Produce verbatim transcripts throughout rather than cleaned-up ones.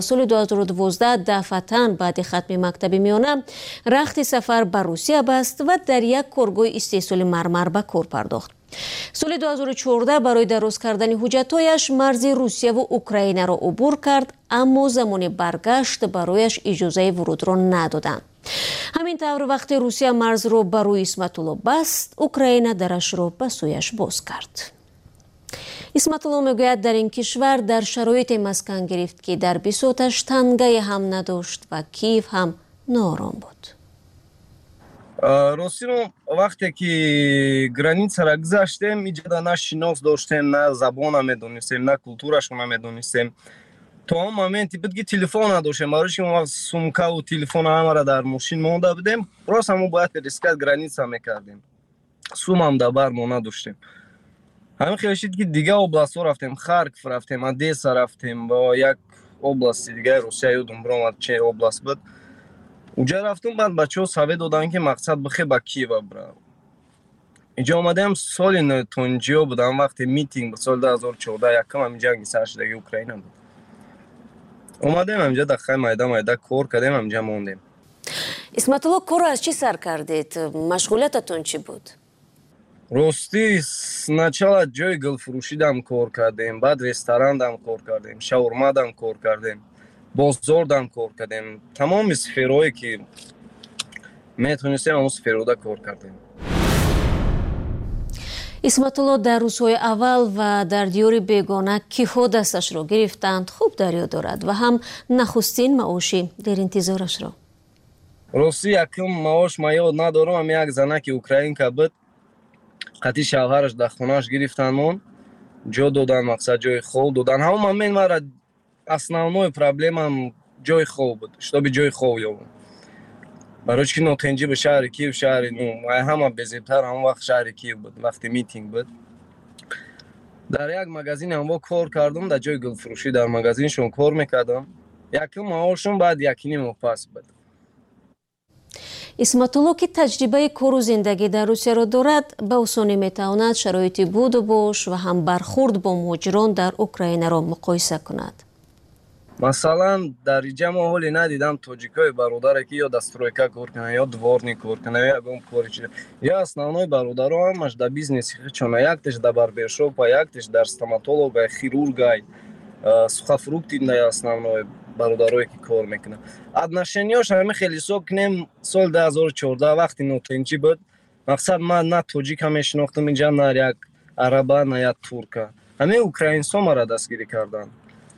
Соли ду ҳазору дувоздаҳ дафъатан баъди хатми мактаби миёна рахти сафар ба Русия баст ва дар як коргоҳи истеҳсоли мармар ба кор пардохт. Соли ду ҳазору чордаҳ барои дароз кардани ҳуҷҷатҳояш марзи Русияву Украинаро убур кард, аммо замони баргашт барояш иҷозаи вурудро надоданд. Ҳамин тавр, вақте Русия марзро ба рӯи Исматулло баст, Украина дарашро ба сӯяш боз кард. Исматулло мегӯяд, дар ин кишвар дар шароите маскан гирифт, ки дар бисоташ тангае ҳам надошт ва Киев ҳам ноором буд. Ростӣ, вақте ки границара гузаштем, иҷода на шинос доштем, на забона медонистем, на культурашро намедонистем. То он моменте буд, ки телефон надоштем, барои чи он вақт сумкаву телефона ҳамара дар мошин монда будем. Рост, ҳамо бояд пересекать граница мекардем, сумам дар бар мо надоштем. Ҳамин хел шид, ки дигар областҳо рафтем: Харков рафтем, Одесса рафтем, ба як области дигаи Русия, ёдум биромад, че област буд, уҷа рафтум. Баъд бачаҳо совет доданд, ки мақсад бихе ба Киева бирав. Инҷо омадем, соли нотинҷиё будам, вақте митинг буд, соли ду ҳазору чордаҳ, якум ҳамин ҷанги сар шудаги Украина буд. Омадем ҳаминҷа, дар хай майда майда кор кардем, ҳаминҷа мондем. Исматулло, корро аз чӣ сар кардед? Машғулиятатон чӣ буд? Ростӣ, сначала ҷои гулфурӯшидам кор кардем, баъд ресторандам кор кардем, шаурмадам кор кардем, бозордам кор кардем. Тамоми сферое ки метонистем, ҳамон сферода кор кардем. Исматулло дар рӯзҳои аввал ва дар диёри бегона киҳо дасташро гирифтанд, хуб дар ёд дорад ва ҳам нахустин маоши деринтизорашро. Ростӣ, якум маош ма ёд надорам. Ам як занаки украинка буд, қати шавҳараш дар хонааш гирифтанмон, ҷо додан, мақсад, ҷои хоб додан. Ҳамон момент мара основной проблемам ҷои хоб буд, чтобы ҷои хоб ёбам, барои чи ки нотинҷӣ ба шаҳри Киев, шаҳри, ну, ҳама безебтар ҳамон вақт шаҳри Киев буд. Вақти митинг буд, дар як магазин ҳамво кор кардам, дар ҷои гулфурӯшӣ, дар магазиншон кор мекардам. Якум маошум баъд якним моҳ пас буд. Исматулло, ки таҷрибаи кору зиндагӣ дар Русияро дорад, ба осонӣ метавонад шароити буду бош ва ҳам бархурд бо муҳоҷирон дар Украинаро муқоиса кунад. Масалан, дар иҷа мо ҳоле надидам тоҷикои бародаре, ки ё дар стройка кор кунанд, ё дворник кор кунанд, ё ягон кори чи. Ё основной бародаро ҳамаш дар бизнеси худшона: яктеш дар барбершопа, яктеш дар стоматологай, хирургай, сухофрукты да. Основной бародарое ки кор мекунанд, отношенияш ҳами хеле. Ҳисоб кунем, соли ду ҳазору чордаҳ, вақти нотинҷӣ буд, мақсад, ман на тоҷика мешинохтам инҷа, на як араба, на як турка. Ҳамин украинсо мара дастгирӣ карданд.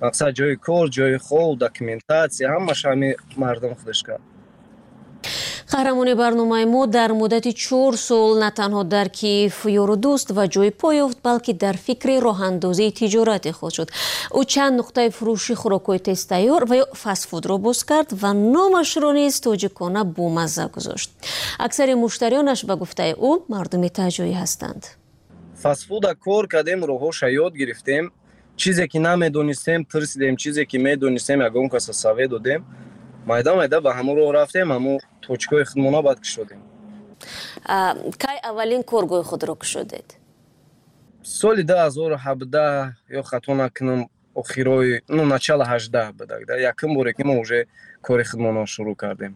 Мақсад, ҷои кор, ҷои хоб, документация, ҳамаш ҳами мардум худаш кард. Қаҳрамони барномаи мо дар муддати чор сол на танҳо дар Киев ёру дӯст ва ҷои по ёфт, балки дар фикри роҳандозии тиҷорати худ шуд. Ӯ чанд нуқтаи фурӯши хӯрокҳои тезтайёр ва ё фастфудро боз кард ва номашро низ тоҷикона бомазза гузошт. Аксари муштариёнаш, ба гуфтаи ӯ, мардуми таҳҷоӣ ҳастанд. Фастфуда кор кардем, роҳҳоша ёд гирифтем. Чизе ки намедонистем, пурсидем, чизе ки медонистем, ягон каса совет додем. Майда майда ба ҳамон роҳ рафтем, ҳамон точкаҳои худмона баъд кушодем. Кай аввалин коргоҳи худро кушодед? Соли ду ҳазору ҳабдаҳ, ё хато накунам, охирои, ну, начало ҳаждаҳ будак, якум боре ки мо уже кори худмонро шурӯъ кардем.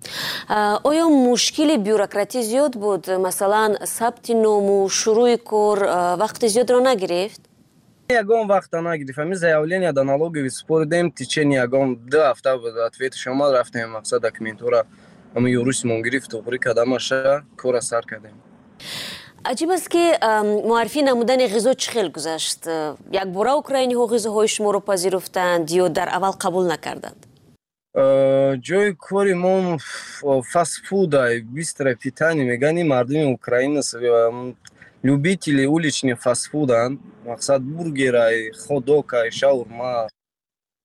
Оё мушкили бюрократӣ зиёд буд? Масалан, сабти ному шурӯи кор вақти зиёдро нагирифт? Ягон вақта нагирифт. Ҳамин заявление да налоговый супоридем, течение ягон ду ҳафта буд, ответаш омад. Рафтем, мақсад, документҳоро ҳамин юристмон гирифт, туғрӣ кардамаша, кора сар кардем. Аҷиб аст, ки муаррифӣ намудани ғизо чӣ хел гузашт? Якбора украиниҳо ғизоҳои шуморо пазируфтанд ё дар аввал қабул накарданд? Ҷои кори мо фастфудай, быстрое питание мегӯянд. Мардуми Украина любители уличный фастфуданд. Мақсад, бургерай, хотдогай, шаурма,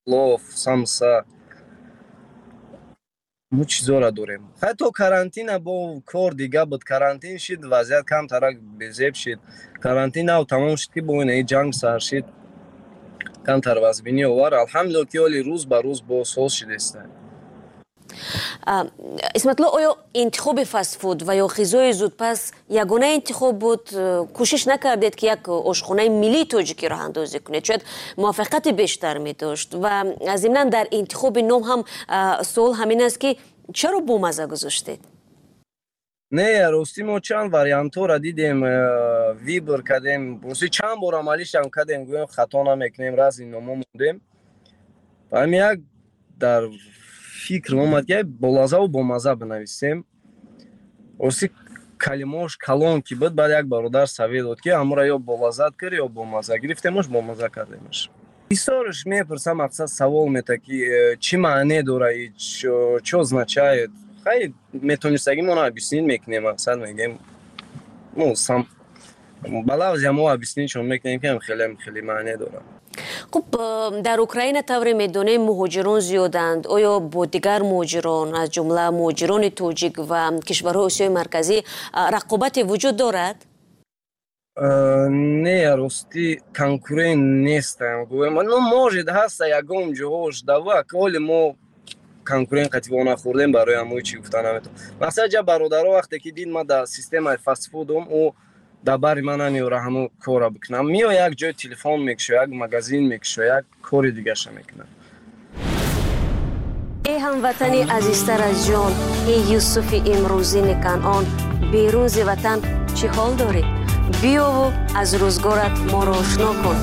плов, самса, мо чизора дорем. Ҳатто карантина бо кор дига буд. Карантин шид, вазъият камтарак безеб шид. Карантин нав тамом шуд, ки бо инаи ҷанг сар шид, камтар вазбинӣ овар. Алҳамдулилла, ки ҳоли рӯз ба рӯз боз соз шидеста. Исматулло, оё интихоби фастфуд ва ё ғизои зудпаз ягона интихоб буд? Кӯшиш накардед, ки як ошхонаи миллии тоҷикӣ роҳандозӣ кунед? Шояд муваффақияти бештар медошт. Ва зимнан дар интихоби ном ҳам суол ҳамин аст, ки чаро бомаза гузоштед? Не, ростӣ мо чанд вариантҳоро дидем, выбор кардем. Ростӣ чанд бор амалишам кардем, гӯем хато намекунем, разни номо мондем. Ҳамин як дар фикр омад, ки болазаву бомаза бинависем. Ростӣ калимаош калон ки буд, баъд як бародар совет дод, ки ҳамура ё болазат кар, ё бомаза. Гирифтемош, бомаза кардемаш. Бисёрш мепурсам, мақсад савол мета, ки э, чӣ маъне дора, чё означает. Хай, метонистагӣ мо объяснить мекунем, мақсад мегем, ну сам ба лафзи мо объяснить чон мекунем, ки хеле хеле маъне дорад. Хуб, дар Украина, тавре медонем, муҳоҷирон зиёданд. Оё бо дигар муҳоҷирон, аз ҷумла муҳоҷирони тоҷик ва кишварҳои Осиёи Марказӣ, рақобате вуҷуд дорад? Не, ростӣ конкурент нестам, гӯем. Ну, может, ҳаста ягон ҷоҳош дава, ҳоли мо конкурент қатибо нахӯрдем, барои ҳамои чӣ гуфта наметавонам. Масалан, ҷа бародаро вақте ки дид ма дар системаи фастфудум, ӯ дар бари ман намеёра ҳамо корра бикунам. Миё, як ҷой телефон мекушо, як магазин мекушо, як кори дигаша мекунам. Эй ҳамватани азизтар аз ҷон, эй Юсуфи имрӯзини Канъон, берун зи ватан чӣ ҳол дорӣ? Биёву аз рӯзгорат моро ошно кун.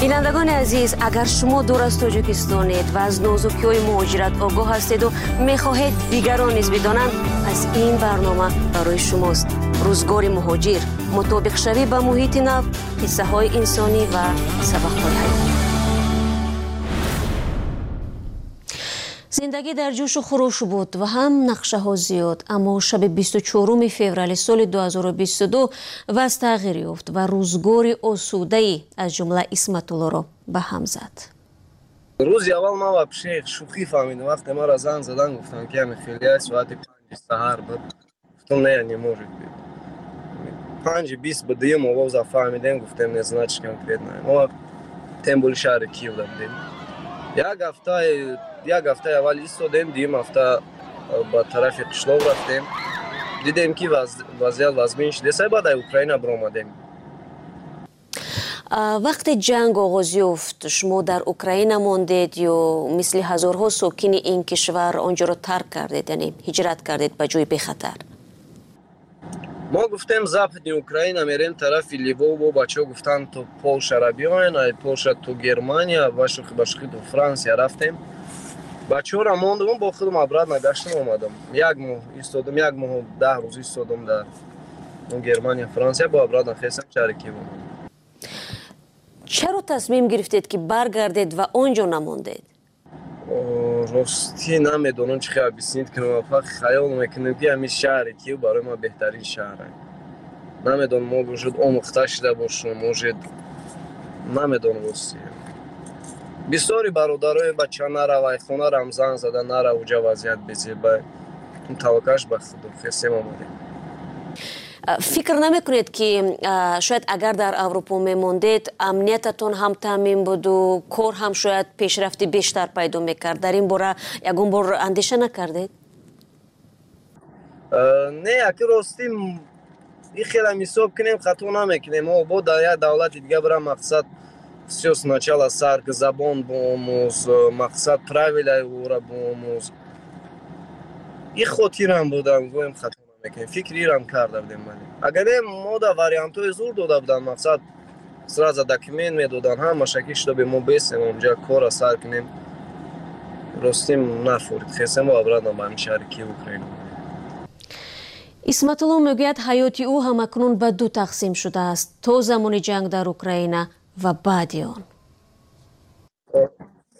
Бинандагони азиз, агар шумо дур аз Тоҷикистонед ва аз нозукиҳои муҳоҷират огоҳ ҳастеду мехоҳед дигарон низ бидонанд, пас ин барнома барои шумост. Рӯзгори муҳоҷир, мутобиқшавӣ ба муҳити нав, қиссаҳои инсонӣ ва сабақҳои ҳаёт. Зиндагӣ дар ҷӯшу хуруш буд ва ҳам нақшаҳо зиёд, аммо шаби бисту чоруми феврали соли ду ҳазору бисту ду вазъ тағйир ёфт ва рӯзгори осудаи аз ҷумла Исматуллоро ба ҳам зад. Рӯзи аввал ман вообще шӯхӣ фаҳмидам. Вақте маро занг задан, гуфтам, ки ҳами хелия соати панҷи саҳар буд. Гуфтам, не, не может быть. Панҷи бист ба дуюм овоза фаҳмидем, гуфтем, не, значит, конкретно. Мо тем более шаҳри Киев будем. Як ҳафта, як ҳафтаи аввал истодем, дуюм ҳафта ба тарафи қишлоқ рафтем. Дидем, ки вазъият вазмин шудеса, баъд ай Украина биромадем. Вақте ҷанг оғоз ёфт, шумо дар Украина мондед ё мисли ҳазорҳо сокини ин кишвар он ҷоро тарк кардед, яъне ҳиҷрат кардед ба ҷои бехатар? Мо гуфтем, Западный Украина мерем, тарафи Львов. Бо бачаҳо гуфтанд, то Полшара биёен, ай Полша то Германия, ба шӯхӣ ба шӯхӣ то Франсия рафтем. Бачаҳоро мондум, бо худам обратно гаштам, омадам. Як моҳ истодам, як моҳу даҳ рӯз истодам дар Германия, Франсия, бо обратно хестам, шаҳри Киев омадам. Чаро тасмим гирифтед, ки баргардед ва он ҷо намондед? Ростӣ намедонам, чӣ хел объяснить кунам. Фақат хаёл мекунем, ки ҳамин шаҳри Киев барои ман беҳтарин шаҳр. Намедонам, мо может омӯхта шуда бошам, может, намедонам ростӣ. Бисёри бародарои бача наравай, хонарам занг зада, нара, уҷа вазъият безеба. Таваккаш ба худо, хестем, омадем. Фикр намекунед, ки шояд агар дар Аврупо мемондед, амниятатон ҳам таъмин буду кор ҳам шояд пешрафти бештар пайдо мекард? Дар ин бора ягон бор андеша накардед? Не, аки ростӣ и хелам ҳисоб кунем, хато намекунем. Мо бо дар як давлати дига бирам, мақсад, всё сначала сар, забон биомӯз, мақсад, правилаи ӯра биомӯз. И хотирам будам, гӯем, хато намекунем. Фикри ирам карда будем. Вале агар не, мо да вариантҳои зур дода буданд, мақсад, сразу документ медоданд, ҳамаша, ки чтобы мо бесем, онҷа корра сар кунем. Ростим нафурид, хестем, обратно ба ҳамин шаҳри Киев, Украина. Исматулло мегӯяд, ҳаёти ӯ ҳамакнун ба ду тақсим шудааст: то замони ҷанг дар Украина ва баъди он.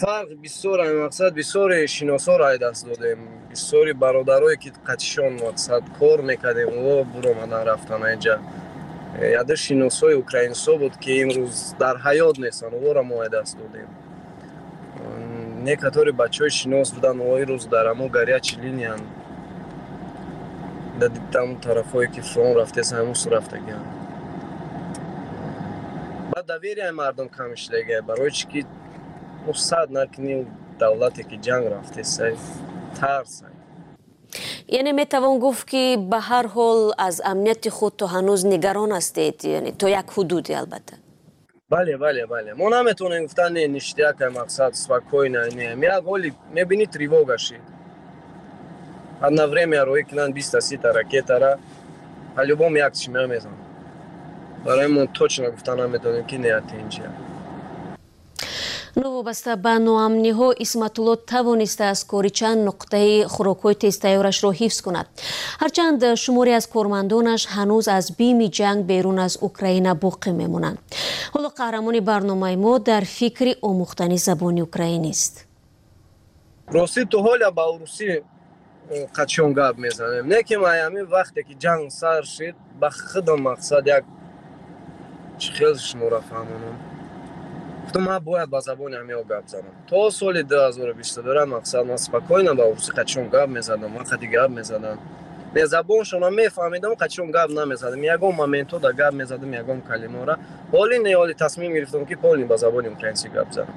Фарқ бисёр, мақсад, бисёре шиносоро ай даст додем, бисёри бародарое, ки қатишон, мақсад, кор мекардем, о буромадан, рафтан инҷа. Яде шиносои украинсо буд, ки имрӯз дар ҳаёт нестанд, ора мо ай даст додем. Некатори бачаҳои шинос буданд, о имрӯз дар ҳамо горячий линиян, дар тарафҳое, ки фронт рафтест, ҳамусу рафтагианд. Баъд доверияи мардум кам шудагия, барои чӣ ки сад накунӣ, давлате ки ҷанг рафтест, тарс. Яъне метавон гуфт, ки ба ҳар ҳол аз амнияти худ то ҳанӯз нигарон ҳастед, яъне то як ҳудуде албатта. Бале, бале, бале. Мо наметавонем гуфтан не, ништяк, мақсад спокойно, не. Як ҳоли мебинӣ, тревога шид. Одно время роӣ кунанд биста сита ракетара, по-любому як чӣ мезананд. Барои мо точно гуфта наметавонем, ки не, инҷа. Новобаста ба ноамниҳо, Исматулло тавонистааст кори чанд нуқтаи хӯрокҳои тезтайёрашро ҳифз кунад, ҳарчанд шуморе аз кормандонаш ҳанӯз аз бими ҷанг берун аз Украина боқӣ мемонанд. Ҳоло қаҳрамони барномаи мо дар фикри омӯхтани забони украинист. Ростӣ, то ҳоля ба урусӣ қачон гап мезанем, не ки ҳамин вақте ки ҷанг сар шид, ба худам мақсад як чӣ хел шуморо фаҳмонам, гуфтам, ман бояд ба забони ҳамиҳо гап занам. То соли дуҳазору бисту дура мақсад ман спокойно ба урусӣ қачон гап мезадам, ман қади гап мезадам, не, забоншонро мефаҳмидам, қачон гап намезадам, ягон моментҳо да гап мезадам, ягон калимаро. Ҳоли не, ҳоли тасмим гирифтам, ки полный ба забони украинсӣ гап занам.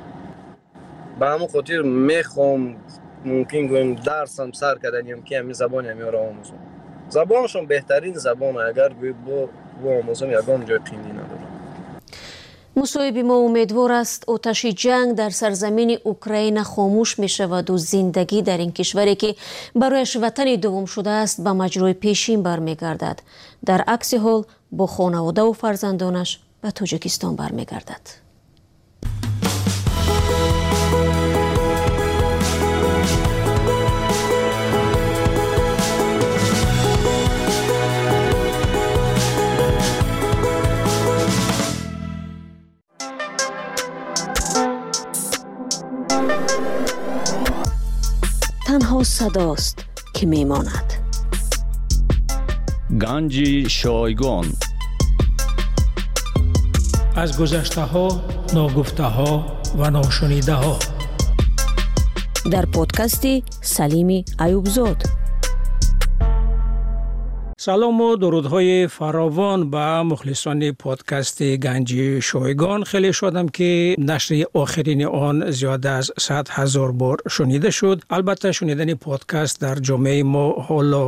Ба ҳамон хотир мехоҳам, мумкин гӯем, дарсам сар карданем, ки ҳамин забони ҳамиҳоро омӯзам. Забоншон беҳтарин забон, агар гӯй бо омӯзам, ягон ҷои қиндӣ надорам. Мусоҳиби мо умедвор аст, оташи ҷанг дар сарзамини Украина хомӯш мешаваду зиндагӣ дар ин кишваре, ки барояш ватани дуввум шудааст, ба маҷрои пешин бармегардад. Дар акси ҳол бо хонаводаву фарзандонаш ба Тоҷикистон бармегардад. Танҳо садост, ки мемонад. Ганҷи шойгон. Аз гузаштаҳо, ногуфтаҳо ва ношунидаҳо. Дар подкасти Салими Аюбзод. Салому дурудҳои фаровон ба мухлисони подкасти Ганҷи шойгон. Хеле шодам, ки нашри охирини он зиёда аз сад ҳазор бор шунида шуд. Албатта, шунидани подкаст дар ҷомеаи мо ҳоло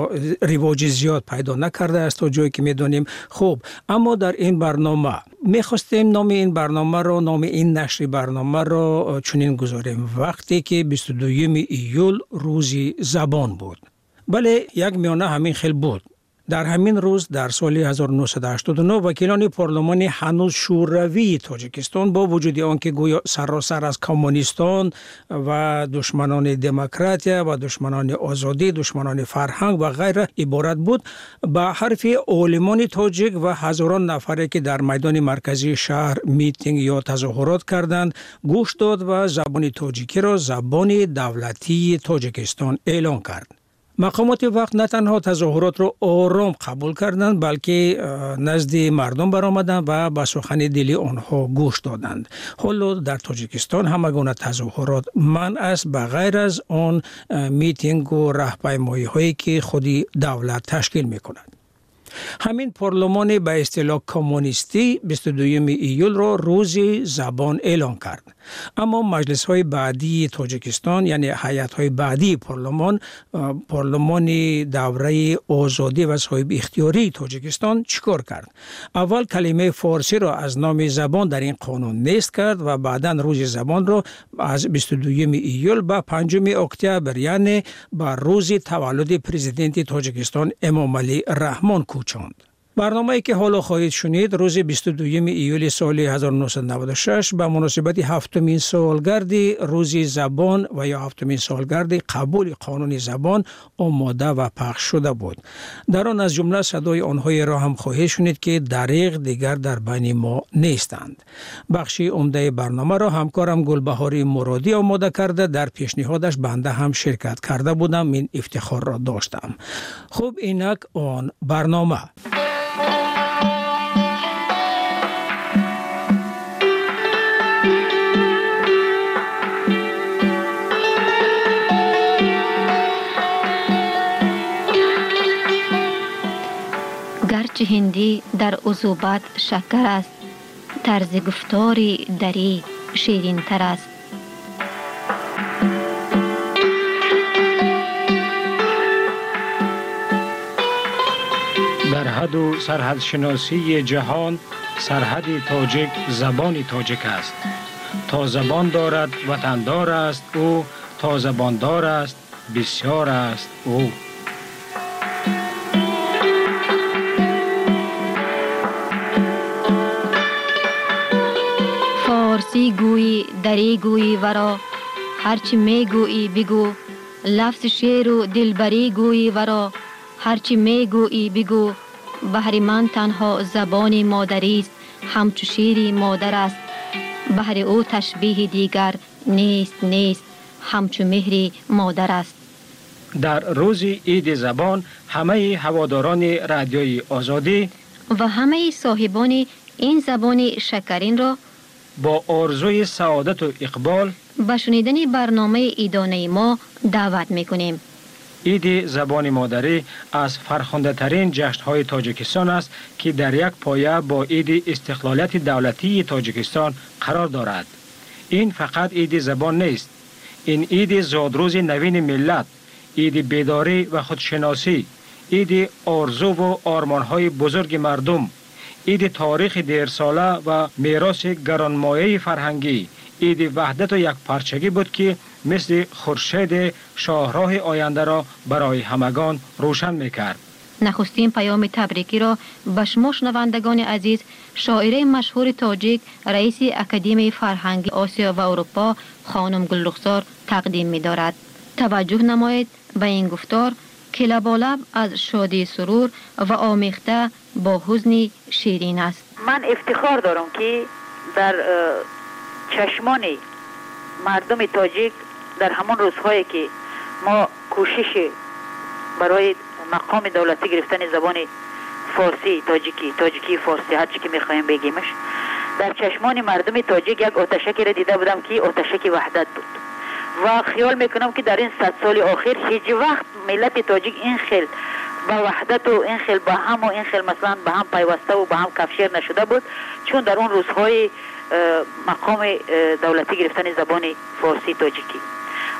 ривоҷи зиёд пайдо накардааст, то ҷое ки медонем. Хуб, аммо дар ин барнома мехостем номи ин барномаро, номи ин нашри барномаро чунин гузорем: вақте ки бисту дуюми июл рӯзи забон буд. Бале, як миёна ҳамин хел буд. Дар ҳамин рӯз дар соли ҳазору нӯҳсаду ҳаштоду нӯҳ вакилони парлумони ҳанӯз шӯравии Тоҷикистон, бо вуҷуди он ки гӯё саросар аз коммунистон ва душманони демократия ва душманони озодӣ, душманони фарҳанг ва ғайра иборат буд, ба ҳарфи олимони тоҷик ва ҳазорон нафаре, ки дар майдони марказии шаҳр митинг ё тазоҳурот карданд, гӯш дод ва забони тоҷикиро забони давлатии Тоҷикистон эълон кард. Мақомоти вақт на танҳо тазоҳуротро ором қабул карданд, балки назди мардум баромаданд ва ба сухани дили онҳо гӯш доданд. Ҳоло дар Тоҷикистон ҳама гуна тазоҳурот манъ аст, ба ғайр аз он митингу раҳпаймоиҳое, ки худи давлат ташкил мекунад. Ҳамин парлумони ба истилоҳ коммунистӣ бисту дуюми июлро рӯзи забон эълон кард. Аммо маҷлисҳои баъдии Тоҷикистон, яъне ҳайатҳои баъдии парлумон, парлумони давраи озодӣ ва соҳибихтиёрии Тоҷикистон чӣ кор кард? Аввал калимаи форсиро аз номи забон дар ин қонун нест кард ва баъдан рӯзи забонро аз бисту дуюми июл ба панҷуми октябр, яъне ба рӯзи таваллуди президенти Тоҷикистон Эмомалӣ Раҳмон кӯчонд. Барномае, ки ҳоло хоҳед шунид, рӯзи бисту дуюми июли соли ҳазору нӯҳсаду наваду шаш ба муносибати ҳафтумин солгарди рӯзи забон ва ё ҳафтумин солгарди қабули қонуни забон омода ва пахш шуда буд. Дар он аз ҷумла садои онҳоеро ҳам хоҳед шунид, ки дариғ дигар дар байни мо нестанд. Бахши умдаи барномаро ҳамкорам Гулбаҳори Муродӣ омода карда, дар пешниҳодаш банда ҳам ширкат карда будам, ин ифтихорро доштам. Хуб, инак он барнома. Гарчи ҳиндӣ дар узубат шакар аст, тарзи гуфтори дарӣ ширинтар аст. سرحد و سرحد شناسی جهان سرحد تاجیک زبان تاجیک است. تا زبان دارد وطندار است او، تا زباندار است بسیار است او. فارسی گویی دری گویی ورا، هرچی میگویی بگو. لفظ شعر و دلبری گویی ورا، هرچی میگویی بگو. بهر من تنها زبان مادری است، همچو شیر مادر است. بهر او تشبیه دیگر نیست نیست، همچو مهر مادر است. در روز عید زبان همه هواداران رادیوی آزادی و همه صاحبان این زبان شکرین را با آرزوی سعادت و اقبال به شنیدن برنامه عیدانه ما دعوت میکنیم. عید زبان مادری از فرخنده‌ترین جشن‌های تاجیکستان است که در یک پایه با عید استقلالیت دولتی تاجیکستان قرار دارد. این فقط عید زبان نیست، این عید زادروز نوین ملت، عید بیداری و خودشناسی، عید آرزو و آرمان‌های بزرگ مردم، عید تاریخ دیرساله و میراث گرانمایه فرهنگی، عید وحدت و یکپارچگی بود که مثل خورشید شاهراه آینده را برای همگان روشن میکرد. نخستین پیام تبریکی را به شما شنوندگان عزیز، شاعره مشهور تاجیک، رئیس اکادمی فرهنگی آسیا و اروپا خانم گلرخسار تقدیم می‌دارد. توجه نمایید به این گفتار که لبالب از شادی سرور و آمیخته با حزن شیرین است. من افتخار دارم که در چشمان مردم تاجیک در همان روزهایی که ما کوشش برای مقام دولتی گرفتن زبان فارسی تاجیکی، تاجیکی فارسی، هر چی که میخوایم بگیمش، در چشمان مردم تاجیک یک آتشکی را دیده بودم که آتشک وحدت بود و خیال میکنم که در این صد سال آخر هیچ وقت ملت تاجیک این خیل با وحدت و این خیل با هم و این خیل مثلا به هم پیوسته و به هم کفشیر نشده بود، چون در اون روزهای مقام دولتی گرفتن زبان فارسی تاجیکی.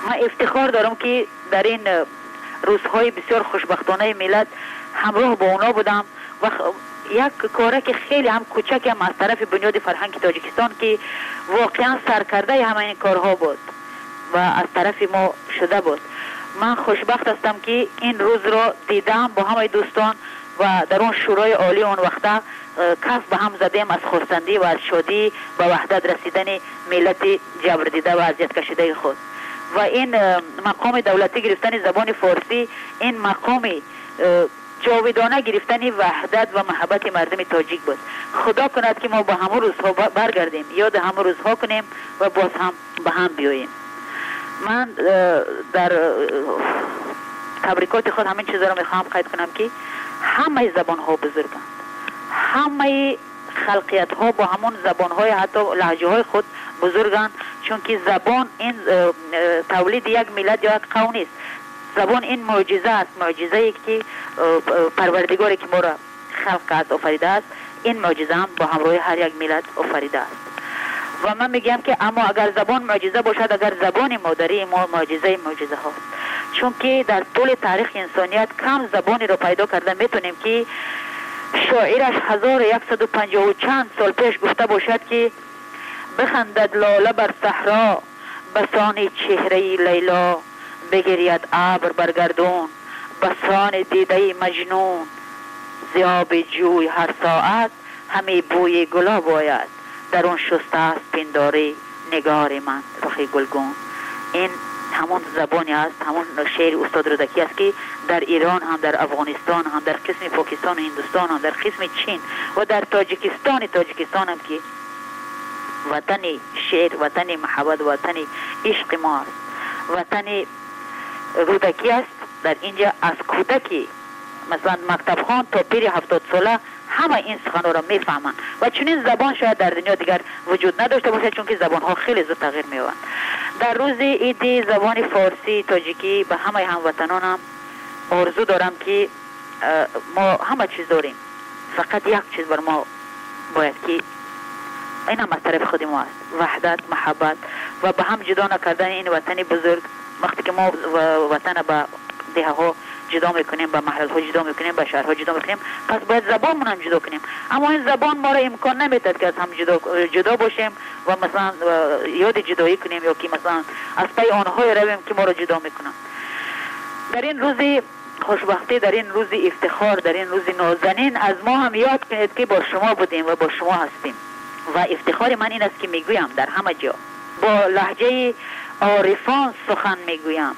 من افتخار دارم که در این روزهای بسیار خوشبختانه ملت همراه با اونا بودم و یک کاره که خیلی هم کوچک هم از طرف بنیاد فرهنگ تاجیکستان که واقعا سرکرده همه این کارها بود و از طرف ما شده بود. من خوشبخت هستم که این روز را دیدم با همه دوستان و در اون شورای عالی اون وقتا کف به هم زدیم از خرسندی و از شادی به وحدت رسیدن ملت جبر دیده و اذیت کشیده خود. و این مقام دولتی گرفتن زبان فارسی، این مقام جاودانه گرفتن وحدت و محبت مردم تاجیک بود. خدا کند که ما به همون روزها برگردیم، یاد همون روزها کنیم و باز هم به هم بیاییم. من در تبریکات خود همین چیزا رو میخوام قید کنم که همه زبان ها بزرگند، همه خلقیت ها با همون زبان های حتی لهجه های خود بزرگند، چون که زبان این تولید یک ملت یا یک قوم نیست. زبان این معجزه است، معجزه ای که پروردگاری که ما را خلق کرد آفریده است، این معجزه هم با همراه هر یک ملت آفریده است. و من میگم که اما اگر زبان معجزه باشد، اگر زبان مادری ما معجزه معجزه هاست، چون که در طول تاریخ انسانیت کم زبانی را پیدا کرده میتونیم که شاعرش هزار و یکصد و پنجاه و چند سال پیش گفته باشد که بخندد لاله بر صحرا بسان چهره لیلا، بگرید ابر بر گردون بسان دیده مجنون، زیاب جوی هر ساعت همی بوی گلاب آید، در اون شسته است پنداری نگار من رخ گلگون. این همون زبانی است، همون شعر استاد رودکی است که در ایران هم، در افغانستان هم، در قسم پاکستان و هندوستان هم، در قسم چین و در تاجیکستان تاجیکستان هم که وطن شعر، وطن محبت، وطن عشق ما است، وطن رودکی است. در اینجا از کودکی مثلا مکتب خان تا پیر هفتاد ساله همه این سخن‌ها را میفهمند و چنین زبان شاید در دنیا دیگر وجود نداشته باشه، چون که زبان‌ها خیلی زود تغییر می‌یابند. در روز عید زبان فارسی تاجیکی به همه هموطنانم آرزو دارم که ما همه چیز داریم، فقط یک چیز بر ما باید که این هم از طرف خود ما است، وحدت، محبت و به هم جدا نکردن این وطن بزرگ. وقتی که ما وطن به دهه ها جدا میکنیم، به محل ها جدا میکنیم، به شهرها جدا میکنیم، پس باید زبانمون هم جدا کنیم. اما این زبان ما را امکان نمیداد که از هم جدا جدا باشیم و مثلا یاد جدایی کنیم یا که مثلا از پی آنهای رویم که ما را جدا میکنن. در این روز خوشبختی، در این روز افتخار، در این روز نازنین از ما هم یاد کنید که با شما بودیم و با شما هستیم. و افتخار من این است که میگویم در همه جا با لهجه عارفان سخن میگویم،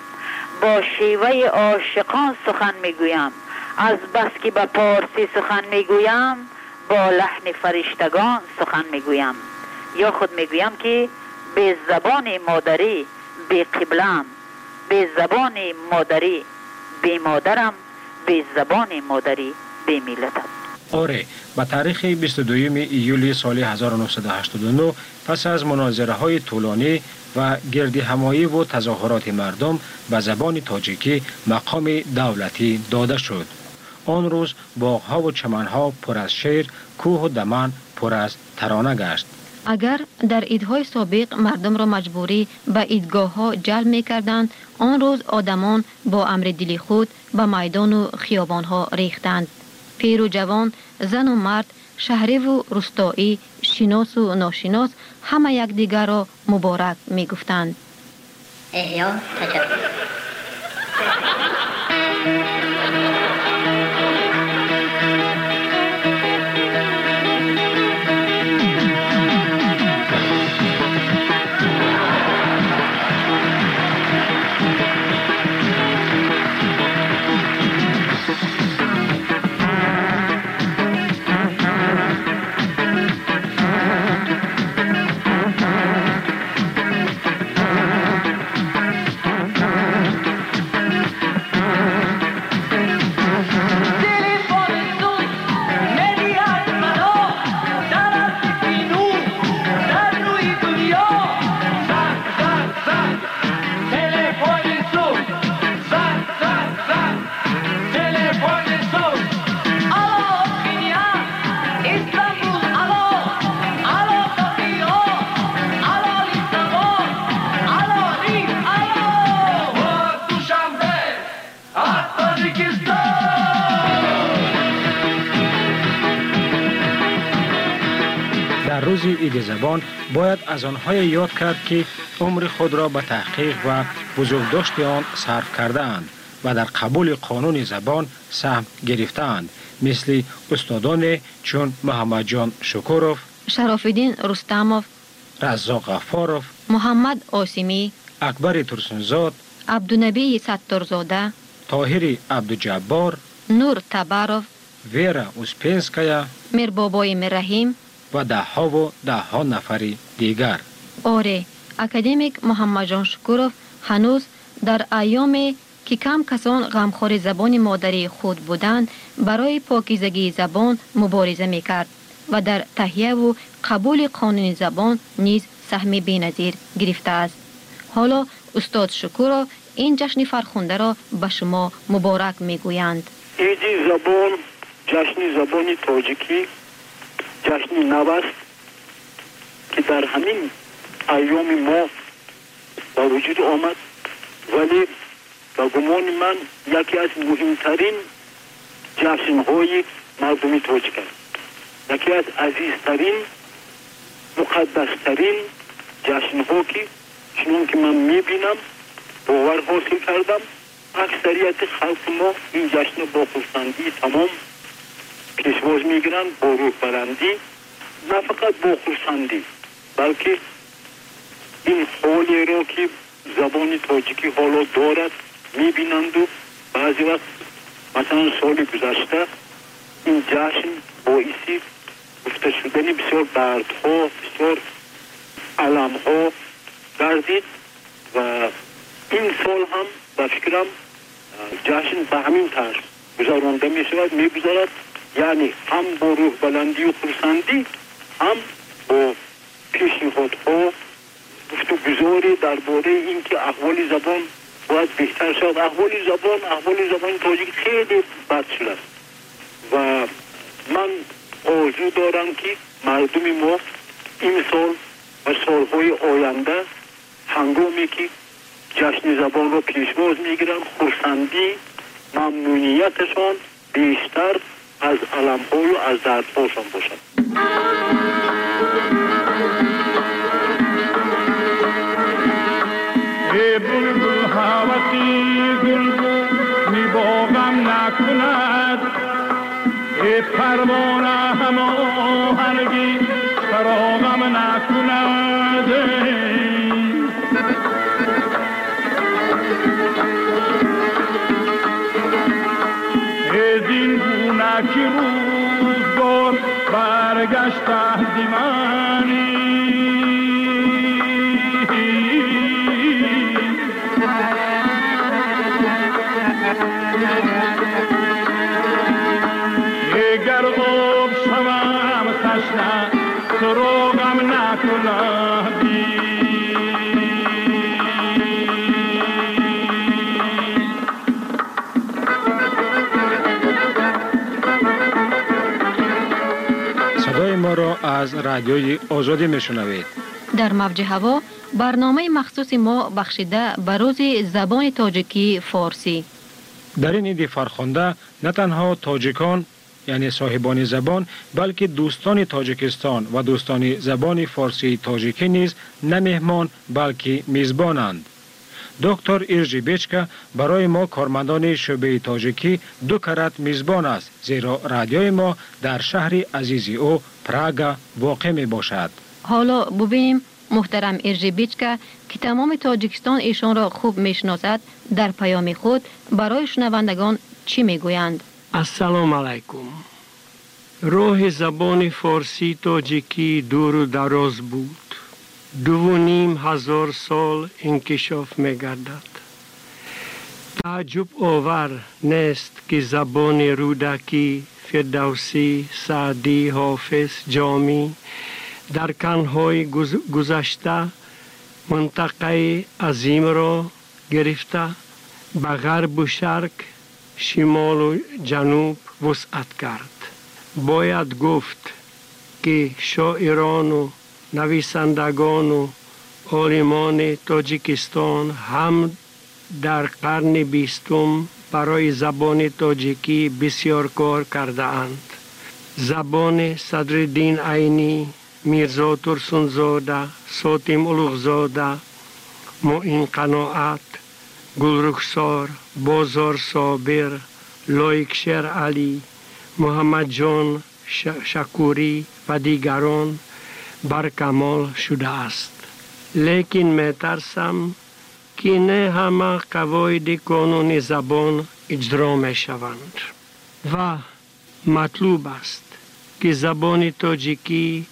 با شیوه عاشقان سخن میگویم، از بس که به پارسی سخن میگویم با لحن فرشتگان سخن میگویم. یا خود میگویم که به زبان مادری به قبلم، به زبان مادری به مادرم، به زبان مادری به ملتم. آره، به تاریخ بیست و دوم ایولی سال هزار و نهصد و هشتاد و نه پس از مناظره های طولانی و گرد همایی و تظاهرات مردم به زبان تاجیکی مقام دولتی داده شد. آن روز باغها و چمنها پر از شعر، کوه و دمن پر از ترانه گشت. اگر در عیدهای سابق مردم را مجبوری به عیدگاه ها جلب می کردند، آن روز آدمان با امر دل خود به میدان و خیابان ها ریختند. پیر و جوان، زن و مرد، شهری و روستایی، شناس و ناشناس همه یکدیگر را مبارک می گفتند. احیا تجدد. روز عید زبان باید از آنهای یاد کرد که عمر خود را به تحقیق و بزرگداشت آن صرف کرده اند و در قبول قانون زبان سهم گرفته‌اند، مثل استادان چون محمد جان شکوروف، شراف‌الدین رستموف، رزاق غفاروف، محمد آسیمی، اکبر ترسونزاد، عبدالنبی ستارزاده، طاهر عبدالجبار، نور تباروف، ویرا اوسپنسکایا، میربابای میررحیم و ده ها و ده ها نفر دیگر. آره، اکادمیک محمد جان شکوروف هنوز در ایام که کم کسان غمخوار زبان مادری خود بودند برای پاکیزگی زبان مبارزه میکرد و در تهیه و قبول قانون زبان نیز سهم بی‌نظیر گرفته است. حالا استاد شکوروف این جشن فرخنده را به شما مبارک میگویند. عید زبان، جشن زبان تاجیکی، جشن نو است که در همین ایام ما به وجود آمد، ولی به گمان من یکی از مهمترین جشن‌های مردم تاجیک است، یکی از عزیزترین، مقدسترین جشن‌ها که چنون که من میبینم باور حاصل کردم اکثریت خلق ما این جشن با خرسندی تمام پیشواز میگیرند، با روح بلندی، نه فقط با خرسندی بلکه این حالی را که زبان تاجیکی حالا دارد میبینند و بعضی وقت مثلا سال گذشته این جشن باعث گفته شدن بسیار دردها، بسیار علمها گردید و این سال هم به فکرم جشن به همین طرز گذرانده می شود، می گذرد، یعنی هم با روح بلندی و خرسندی، هم با پیشنهادها، گفتگوزاری درباره اینکه احوال زبان باید بهتر شود. احوال زبان، احوال زبان تاجیک خیلی بد شده است و من آرزو دارم که مردم ما این سال و سالهای آینده هنگامی که جشن زبان را پیشواز میگیرند خرسندی ممنونیتشان بیشتر از الم‌های و از دردهاشان باشد. ای بلبل هوسی گلگو می باغم نکند، ای پروانه هماهنگی فراغم نکند. ازین گونه که روزگار برگشته ز منی، اگر آب شوم تشنه سراغم نکند. صدای ما را از رادیوی آزادی میشنوید. در موج هوا برنامه مخصوص ما بخشیده به روز زبان تاجیکی فارسی. در این عید فرخنده نه تنها تاجیکان یعنی صاحبان زبان، بلکه دوستان تاجیکستان و دوستان زبان فارسی تاجیکی نیز نه مهمان بلکه میزبانند. دکتر ایرژی بیچکا برای ما کارمندان شعبه تاجیکی دو کرت میزبان است، زیرا رادیوی ما در شهر عزیز او پراگا واقع می باشد. حالا ببینیم محترم ایرژی بیچکا که تمام تاجیکستان ایشان را خوب میشناسد در پیام خود برای شنوندگان چی میگویند؟ السلام علیکم. راه زبان فارسی تاجیکی دور و دراز بود. دو و نیم هزار سال انکشاف می‌گردد. تعجب آور نیست که زبان رودکی، فردوسی، سعدی، حافظ، جامی در قرن‌های گذشته منطقه عظیم را گرفته به غرب و شرق، شمال و جنوب وسعت کرد. باید گفت که شاعران و نویسندگان و عالمان تاجیکستان هم در قرن بیستم برای زبان تاجیکی بسیار کار کرده اند. زبان صدرالدین عینی، میرزا ترسونزاده، ساتیم اولوغزاده، معین قناعت، گلرخسار، بازار صابر، لایق شیر علی، محمد جان شکوری و دیگران بر کمال شده است. لیکن می‌ترسم که نه همه قواعد قانون زبان اجرا می‌شوند و مطلوب است که زبان تاجیکی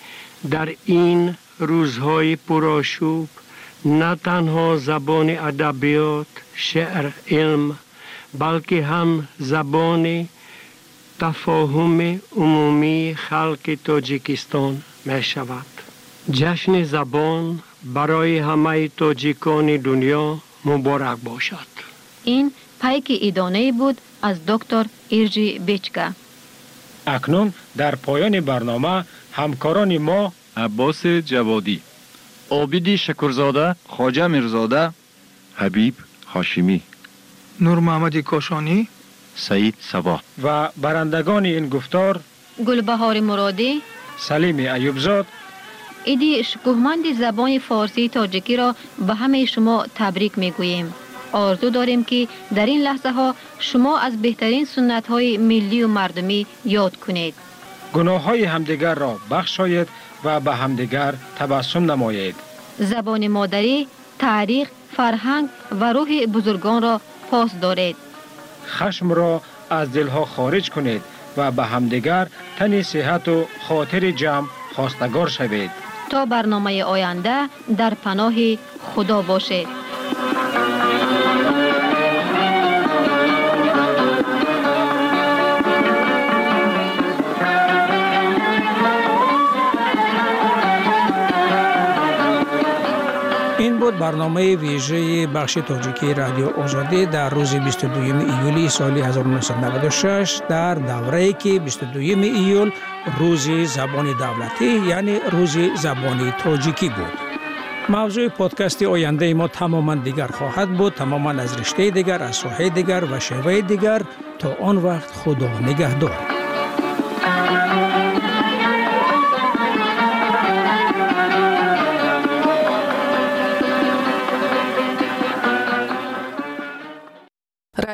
در این روزهای پرآشوب نه تنها زبان ادبیات، شعر، علم، بلکه هم زبان تفاهم عمومی خلق تاجیکستان می شود. جشن زبان برای همه تاجیکان دنیا مبارک باشد. این پیک ایدانه بود از دکتر ایرژی بیچکا. اکنون در پایان برنامه همکاران ما عباس جوادی، عابدی شکرزاده، خواجه میرزاده، حبیب هاشمی، نور محمد کاشانی، سعید صبا و برندگان این گفتار گلبهار مرادی، سلیم ایوبزاد. ایدی شکوهمند زبان فارسی تاجیکی را به همه شما تبریک میگوییم. آرزو داریم که در این لحظه ها شما از بهترین سنت های ملی و مردمی یاد کنید. گناه های همدیگر را بخشایید و به همدیگر تبسم نمایید. زبان مادری، تاریخ، فرهنگ و روح بزرگان را پاس دارید. خشم را از دلها خارج کنید و به همدیگر تن صحت و خاطر جمع خواستگار شوید. تا برنامه آینده در پناه خدا باشید. این بود برنامه ویژه بخش تاجیکی رادیو آزادی در روز بیست و دوم ایولی سال هزار و نهصد و نود و شش در دوره‌ای که بیست و دوم ایول روز زبان دولتی یعنی روز زبان تاجیکی بود. Мавзӯи подкасти ояндаи мо тамоман дигар хоҳад буд, тамоман аз риштаи дигар, аз соҳаи дигар ва шеваи дигар. То он вақт Худо нигаҳдор.